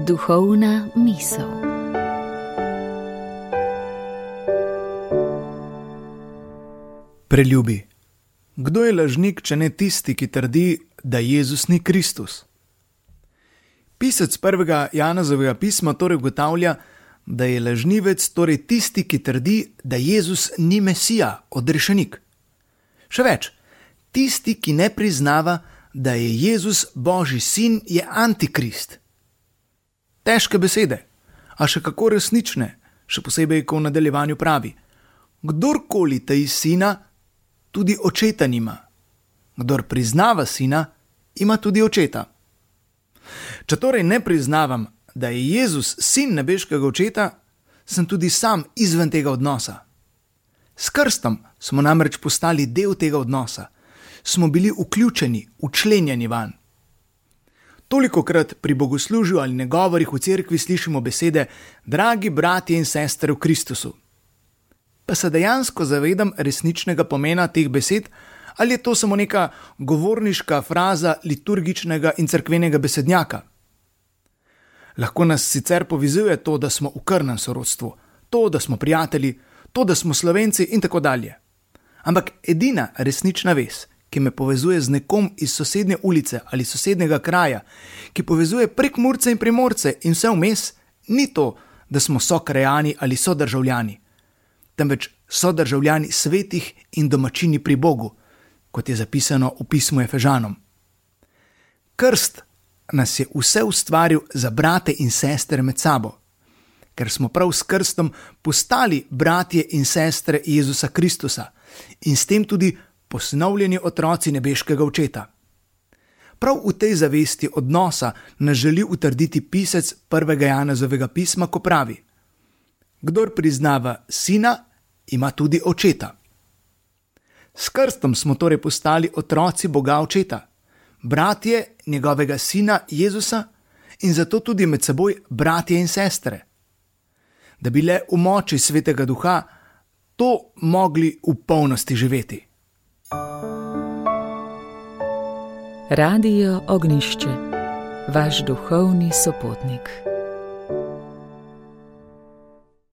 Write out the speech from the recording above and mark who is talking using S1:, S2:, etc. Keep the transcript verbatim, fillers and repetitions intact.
S1: Duhovna misel.
S2: Preljubi, kdo je lažnik, če ne tisti, ki trdi, da Jezus ni Kristus? Pisec prvega Janezovega pisma torej ugotavlja, da je lažnivec torej tisti, ki trdi, da Jezus ni Mesija, odrešenik. Še več, tisti, ki ne priznava, da je Jezus Božji sin, je antikrist. Težke besede, a še kako resnične, še posebej, ko v nadaljevanju pravi: kdorkoli taji sina, tudi očeta nima. Kdor priznava sina, ima tudi očeta. Če torej ne priznavam, da je Jezus sin nebeškega očeta, sem tudi sam izven tega odnosa. S krstom smo namreč postali del tega odnosa. Smo bili vključeni, včlenjeni vanj. Tolikokrat pri bogoslužju ali nagovorih v cerkvi slišimo besede: dragi bratje in sestre v Kristusu. Pa se dejansko zavedam resničnega pomena teh besed, ali je to samo neka govorniška fraza liturgičnega in cerkvenega besednjaka? Lahko nas sicer povezuje to, da smo v krvnem sorodstvu, to, da smo prijatelji, to, da smo Slovenci in tako dalje. Ampak edina resnična vez, ki me povezuje z nekom iz sosednje ulice ali sosednjega kraja, ki povezuje Prekmurce in Primorce in vse vmes, ni to, da smo sokrajani ali sodržavljani, temveč sodržavljani svetih in domačini pri Bogu, kot je zapisano v pismu Efežanom. Krst nas je vse ustvaril za brate in sestre med sabo, ker smo prav s krstom postali bratje in sestre Jezusa Kristusa in s tem tudi posnovljeni otroci nebeškega očeta. Prav v tej zavesti odnosa nas želi utrditi pisec prvega Janezovega pisma, ko pravi: kdor priznava sina, ima tudi očeta. S krstom smo torej postali otroci Boga očeta, bratje njegovega sina Jezusa in zato tudi med seboj bratje in sestre. Da bi le v moči Svetega Duha to mogli v polnosti živeti.
S1: Radio Ognjišče, vaš duhovni sopotnik.